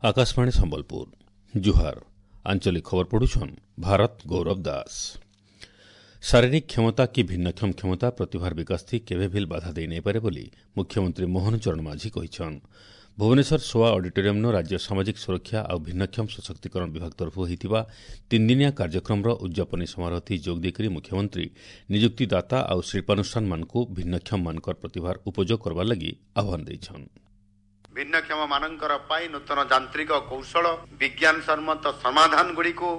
Akashvani Sambalpur ଜୁହାର। ଆଞ୍ଚଳିକ ଖବର ପଢୁଛନ୍ ଭାରତ ଗୌରବ ଦାସ। ଶାରୀରିକ କ୍ଷମତା କି ଭିନ୍ନକ୍ଷମ କ୍ଷମତା ପ୍ରତିଭାର ବିକାଶ ଥି କେବେ ଭିଲ୍ ବାଧା ଦେଇ ନାଇପାରେ ବୋଲି ମୁଖ୍ୟମନ୍ତ୍ରୀ ମୋହନ ଚରଣ ମାଝୀ କହିଛନ୍। ଭୁବନେଶ୍ୱର ସୋଆ ଅଡିଟୋରିୟମ୍ନ ରାଜ୍ୟ ସାମାଜିକ ସୁରକ୍ଷା ଆଉ ଭିନ୍ନକ୍ଷମ ସଶକ୍ତିକରଣ ବିଭାଗ ତରଫରୁ ହୋଇଥିବା ତିନିଦିନିଆ କାର୍ଯ୍ୟକ୍ରମର ଉଦ୍ଯାପନୀ ସମାରୋହଥି ଯୋଗ ଦେଇକରି ମୁଖ୍ୟମନ୍ତ୍ରୀ ନିଯୁକ୍ତିଦାତା ଆଉ ଶିଳ୍ପାନୁଷ୍ଠାନମାନଙ୍କୁ ଭିନ୍ନକ୍ଷମମାନଙ୍କର ପ୍ରତିଭାର ଉପଯୋଗ କରବାର ଲାଗି ଆହ୍ୱାନ ଦେଇଛନ୍। ଭିନ୍ନକ୍ଷମ ମାନଙ୍କର ପାଇଁ ନୂତନ ଯାନ୍ତ୍ରିକ କୌଶଳ, ବିଜ୍ଞାନ ସମ୍ମତ ସମାଧାନ ଗୁଡ଼ିକୁ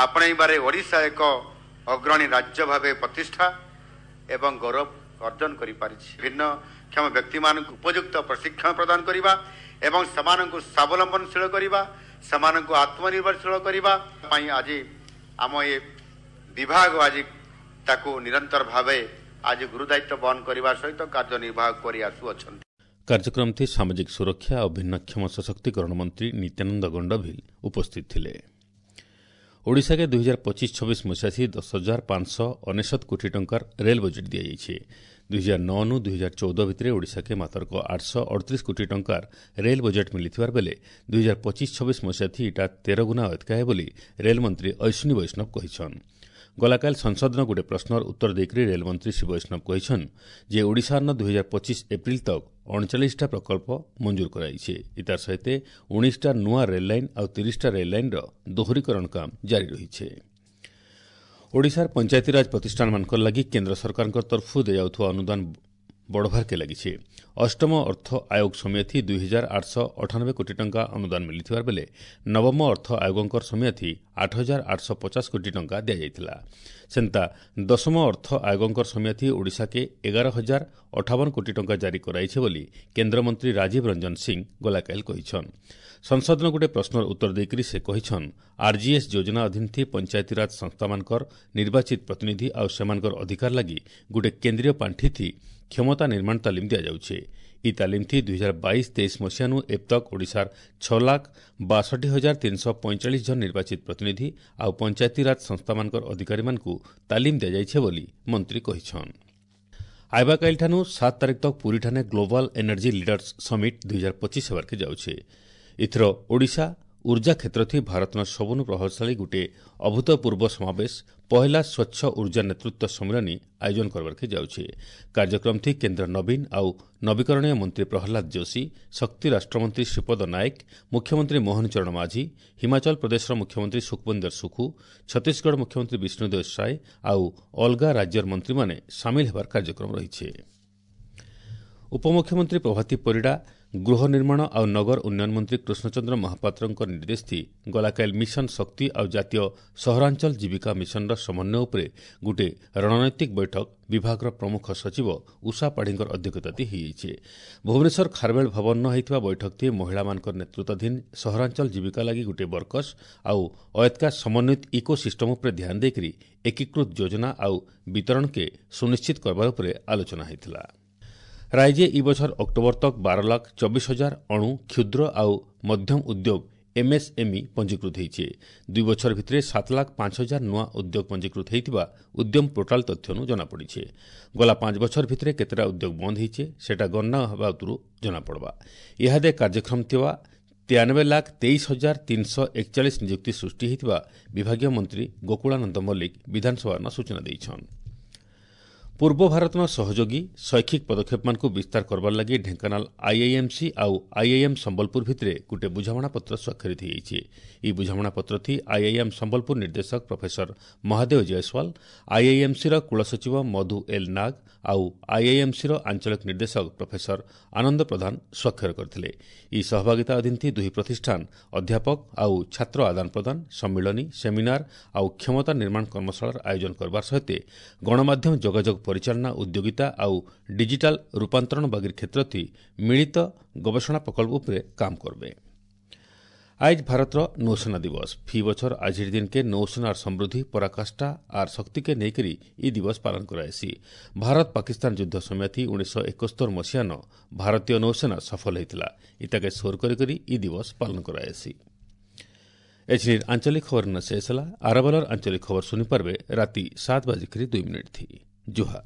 ଆପଣେଇବାରେ ଓଡ଼ିଶା ଏକ ଅଗ୍ରଣୀ ରାଜ୍ୟ ଭାବେ ପ୍ରତିଷ୍ଠା ଏବଂ ଗୌରବ ଅର୍ଜନ କରିପାରିଛି। ଭିନ୍ନକ୍ଷମ ବ୍ୟକ୍ତିମାନଙ୍କୁ ଉପଯୁକ୍ତ ପ୍ରଶିକ୍ଷଣ ପ୍ରଦାନ କରିବା ଏବଂ ସେମାନଙ୍କୁ ସ୍ୱାବଲମ୍ବନଶୀଳ କରିବା, ସେମାନଙ୍କୁ ଆତ୍ମନିର୍ଭରଶୀଳ କରିବା ପାଇଁ ଆଜି ଆମ ଏ ବିଭାଗ ଆଜି ତାକୁ ନିରନ୍ତର ଭାବେ ଆଜି ଗୁରୁଦାୟିତ୍ୱ ବହନ କରିବା ସହିତ କାର୍ଯ୍ୟନିର୍ବାହ କରି ଆସୁଅଛନ୍ତି। କାର୍ଯ୍ୟକ୍ରମଥି ସାମାଜିକ ସୁରକ୍ଷା ଓ ଭିନ୍ନକ୍ଷମ ସଶକ୍ତିକରଣ ମନ୍ତ୍ରୀ ନିତ୍ୟାନନ୍ଦ ଗଣ୍ଡଭିଲ ଉପସ୍ଥିତ ଥିଲେ। ଓଡ଼ିଶାକେ 2025-26 ମସିହାଥି 10,599 କୋଟି ଟଙ୍କାର ରେଲ୍ ବଜେଟ୍ ଦିଆଯାଇଛି। 2009 2014 ଭିତରେ ଓଡ଼ିଶାକେ ମାତରକ 838 କୋଟି ଟଙ୍କାର ରେଲ୍ ବଜେଟ୍ ମିଳିଥିବାର ବେଲେ 2025-26 ମସିହାଥି ଇଟା 13 ଗୁଣା ଅଧିକା ହେ ବୋଲି ରେଲ୍ମନ୍ତ୍ରୀ ଅଶ୍ୱିନୀ ବୈଷ୍ଣବ କହିଛନ୍। ଗଲାକାଲି ସଂସଦନ ଗୋଟିଏ ପ୍ରଶ୍ନର ଉତ୍ତର ଦେଇକରି ରେଲ୍ମନ୍ତ୍ରୀ ଶ୍ରୀ ବୈଷ୍ଣବ କହିଛନ୍ ଯେ ଓଡ଼ିଶାର 2025 ଏପ୍ରିଲ ତକ୍ 39ଟା ପ୍ରକଳ୍ପ ମଞ୍ଜୁର କରାଯାଇଛି। ଇତାର ସହିତ 19ଟା ନୂଆ ରେଲ୍ ଲାଇନ୍ ଆଉ 30ଟା ରେଲ୍ ଲାଇନ୍ର ଦୋହରୀକରଣ କାମ ଜାରି ରହିଛି। ଓଡ଼ିଶାର ପଞ୍ଚାୟତିରାଜ ପ୍ରତିଷ୍ଠାନମାନଙ୍କର ଲାଗି କେନ୍ଦ୍ର ସରକାରଙ୍କ ତରଫରୁ ଦିଆଯାଉଥିବା ଅନୁଦାନ ବଢ଼ବାର୍କେ ଲାଗିଛି। ଅଷ୍ଟମ ଅର୍ଥ ଆୟୋଗ ସମୟଥି 2,898 କୋଟି ଟଙ୍କା ଅନୁଦାନ ମିଳିଥିବାର ବେଲେ ନବମ ଅର୍ଥ ଆୟୋଗଙ୍କର ସମୟଥି 8,850 କୋଟି ଟଙ୍କା ଦିଆଯାଇଥିଲା। ସେନ୍ତା ଦଶମ ଅର୍ଥ ଆୟୋଗଙ୍କର ସମୟଥି ଓଡ଼ିଶାକେ 11,058 କୋଟି ଟଙ୍କା ଜାରି କରାଇছে ବୋଲି କେନ୍ଦ୍ରମନ୍ତ୍ରୀ ରାଜୀବ ରଞ୍ଜନ ସିଂ ଗଲାକାଲି କହିଛନ୍। ସଂସଦନ ଗୋଟିଏ ପ୍ରଶ୍ନର ଉତ୍ତର ଦେଇକରି ସେ କହିଛନ୍, ଆର୍ଜିଏସ୍ ଯୋଜନା ଅଧୀନ ପଞ୍ଚାୟତିରାଜ ସଂସ୍ଥାମାନଙ୍କର ନିର୍ବାଚିତ ପ୍ରତିନିଧି ଆଉ ସେମାନଙ୍କର ଅଧିକାର ଲାଗି ଗୋଟିଏ କେନ୍ଦ୍ରୀୟ ପାଣ୍ଠିଥି କ୍ଷମତା ନିର୍ମାଣ ତାଲିମ ଦିଆଯାଉଛି। ଇ ତାଲିମଥି 2022-23 ମସିହାନୁ ଏବତକ୍ ଓଡ଼ିଶାର 6,62,345 ଜଣ ନିର୍ବାଚିତ ପ୍ରତିନିଧି ଆଉ ପଞ୍ଚାୟତିରାଜ ସଂସ୍ଥାମାନଙ୍କର ଅଧିକାରୀମାନଙ୍କୁ ତାଲିମ ଦିଆଯାଇଛି ବୋଲି ମନ୍ତ୍ରୀ କହିଛନ୍। ଆଇବାକାଲିଠାନୁ 7 ତାରିଖ ତକ୍ ପୁରୀଠାନେ ଗ୍ଲୋବାଲ ଏନର୍ଜି ଲିଡର୍ସ ସମିଟ୍ 2025 ହେବାର୍କେ ଯାଉଛେ। ଏଥର ଓଡ଼ିଶା ଉର୍ଜା କ୍ଷେତ୍ରଥି ଭାରତର ସବୁନୁ ପ୍ରଭାବଶାଳୀ ଗୋଟିଏ ଅଭୂତପୂର୍ବ ସମାବେଶ ପହିଲା ସ୍ୱଚ୍ଛ ଉର୍ଜା ନେତୃତ୍ୱ ସମ୍ମିଳନୀ ଆୟୋଜନ କରବାର୍କେ ଯାଉଛି। କାର୍ଯ୍ୟକ୍ରମଥି କେନ୍ଦ୍ର ନବୀନ ଆଉ ନବୀକରଣୀୟ ମନ୍ତ୍ରୀ ପ୍ରହ୍ଲାଦ ଯୋଶୀ, ଶକ୍ତି ରାଷ୍ଟ୍ରମନ୍ତ୍ରୀ ଶ୍ରୀପଦ ନାୟକ, ମୁଖ୍ୟମନ୍ତ୍ରୀ ମୋହନ ଚରଣ ମାଝୀ, ହିମାଚଳ ପ୍ରଦେଶର ମୁଖ୍ୟମନ୍ତ୍ରୀ ସୁଖବିନ୍ଦର ସୁଖୁ, ଛତିଶଗଡ଼ ମୁଖ୍ୟମନ୍ତ୍ରୀ ବିଷ୍ଣୁଦେବ ସାଏ ଆଉ ଅଲଗା ରାଜ୍ୟର ମନ୍ତ୍ରୀମାନେ ସାମିଲ ହେବାର କାର୍ଯ୍ୟକ୍ରମ ରହିଛି। ଉପମୁଖ୍ୟମନ୍ତ୍ରୀ ପ୍ରଭାତୀ ପରିଡ଼ା, ଗୃହ ନିର୍ମାଣ ଆଉ ନଗର ଉନ୍ନୟନ ମନ୍ତ୍ରୀ କୃଷ୍ଣଚନ୍ଦ୍ର ମହାପାତ୍ରଙ୍କ ନିର୍ଦ୍ଦେଶଥି ଗଲାକାଲି ମିଶନ ଶକ୍ତି ଆଉ ଜାତୀୟ ସହରାଞ୍ଚଳ ଜୀବିକା ମିଶନର ସମନ୍ୱୟ ଉପରେ ଗୋଟିଏ ରଣନୈତିକ ବୈଠକ ବିଭାଗର ପ୍ରମୁଖ ସଚିବ ଉଷା ପାଢ଼ୀଙ୍କର ଅଧ୍ୟକ୍ଷତାତି ହୋଇଯାଇଛି। ଭୁବନେଶ୍ୱର ଖାରବେଳ ଭବନ ହୋଇଥିବା ବୈଠକଥି ମହିଳାମାନଙ୍କର ନେତୃତ୍ୱାଧୀନ ସହରାଞ୍ଚଳ ଜୀବିକା ଲାଗି ଗୋଟିଏ ବର୍କସ୍ ଆଉ ଅୟତ୍କା ସମନ୍ୱିତ ଇକୋ ସିଷ୍ଟମ ଉପରେ ଧ୍ୟାନ ଦେଇକରି ଏକୀକୃତ ଯୋଜନା ଆଉ ବିତରଣକେ ସୁନିଶ୍ଚିତ କରବାର ଉପରେ ଆଲୋଚନା ହୋଇଥିଲା। ରାଜ୍ୟ ଇ ବଛର ଅକ୍ଟୋବର ତକ୍ 12,24,000 ଅଣୁ, କ୍ଷୁଦ୍ର ଆଉ ମଧ୍ୟମ ଉଦ୍ୟୋଗ ଏମ୍ଏସ୍ଏମ୍ଇ ପଞ୍ଜୀକୃତ ହୋଇছে। 2 ବଛର ଭିତରେ 7,05,000 ନୂଆ ଉଦ୍ୟୋଗ ପଞ୍ଜୀକୃତ ହୋଇଥିବା ଉଦ୍ୟମ ପୋର୍ଟାଲ ତଥ୍ୟନୁ ଜଣାପଡ଼ିছে। ଗଲା 5 ବଛର ଭିତରେ କେତେଟା ଉଦ୍ୟୋଗ ବନ୍ଦ ହୋଇছে ସେଟା ଗଣନା ହେବା ଉତରୁ ଜଣାପଡ଼ବା। ଇହାଦେ କାର୍ଯ୍ୟକ୍ଷମ ଥିବା 93,23,341 ନିଯୁକ୍ତି ସୃଷ୍ଟି ହୋଇଥିବା ବିଭାଗୀୟ ମନ୍ତ୍ରୀ ଗୋକୁଳାନନ୍ଦ ମଲ୍ଲିକ ବିଧାନସଭାନ ସୂଚନା ଦେଇଛନ୍। ପୂର୍ବ ଭାରତର ସହଯୋଗୀ ଶୈକ୍ଷିକ ପଦକ୍ଷେପମାନଙ୍କୁ ବିସ୍ତାର କରବାର ଲାଗି ଢେଙ୍କାନାଳ ଆଇଆଇଏମ୍ସି ଆଉ ଆଇଆଇଏମ୍ ସମ୍ବଲପୁର ଭିତରେ ଗୋଟିଏ ବୁଝାମଣାପତ୍ର ସ୍ୱାକ୍ଷରିତ ହୋଇଯାଇଛି। ଏହି ବୁଝାମଣାପତ୍ରଥି ଆଇଆଇଏମ୍ ସମ୍ବଲପୁର ନିର୍ଦ୍ଦେଶକ ପ୍ରଫେସର ମହାଦେବ ଜୟସ୍ୱାଲ, ଆଇଆଇଏମ୍ସିର କୁଳସଚିବ ମଧୁ ଏଲ୍ ନାଗ ଆଉ ଆଇଆଇଏମ୍ସିର ଆଞ୍ଚଳିକ ନିର୍ଦ୍ଦେଶକ ପ୍ରଫେସର ଆନନ୍ଦ ପ୍ରଧାନ ସ୍ୱାକ୍ଷର କରିଥିଲେ। ଏହି ସହଭାଗିତା ଅଧୀନ ଦୁଇ ପ୍ରତିଷ୍ଠାନ ଅଧ୍ୟାପକ ଆଉ ଛାତ୍ର ଆଦାନ ପ୍ରଦାନ, ସମ୍ମିଳନୀ, ସେମିନାର ଆଉ କ୍ଷମତା ନିର୍ମାଣ କର୍ମଶାଳାର ଆୟୋଜନ କରବାର ସହିତ ଗଣମାଧ୍ୟମ ଯୋଗାଯୋଗ ପରିଚାଳନା, ଉଦ୍ୟୋଗିତା ଆଉ ଡିଜିଟାଲ ରୂପାନ୍ତରଣ ବାଗିର କ୍ଷେତ୍ରଥି ମିଳିତ ଗବେଷଣା ପ୍ରକଳ୍ପ ଉପରେ କାମ କରବେ। ଆଜ ଭାରତର ନୌସେନା ଦିବସ। ଫି ବଛର ଆଜିର ଦିନକେ ନୌସେନାର ସମୃଦ୍ଧି, ପରାକାଷ୍ଠା ଆର୍ ଶକ୍ତିକେ ନେଇକରି ଇ ଦିବସ ପାଳନ କରାଯାଏସି। ଭାରତ ପାକିସ୍ତାନ ଯୁଦ୍ଧ ସମୟଥି 1971 ମସିହାନ ଭାରତୀୟ ନୌସେନା ସଫଳ ହୋଇଥିଲା। ଇତାକେ ସୋର କରି କରି ଇ ଦିବସ ପାଳନ କରାଯାଏସି। ଏଛିନିର ଆଞ୍ଚଳିକ ଖବର ନ ଶେଷ ହେଲା। ଆରବଲର ଆଞ୍ଚଳିକ ଖବର ଶୁଣିପାରିବେ ରାତି 7 ବାଜିକରି 2 ମିନିଟ୍ ଥି। ଜୁହାର।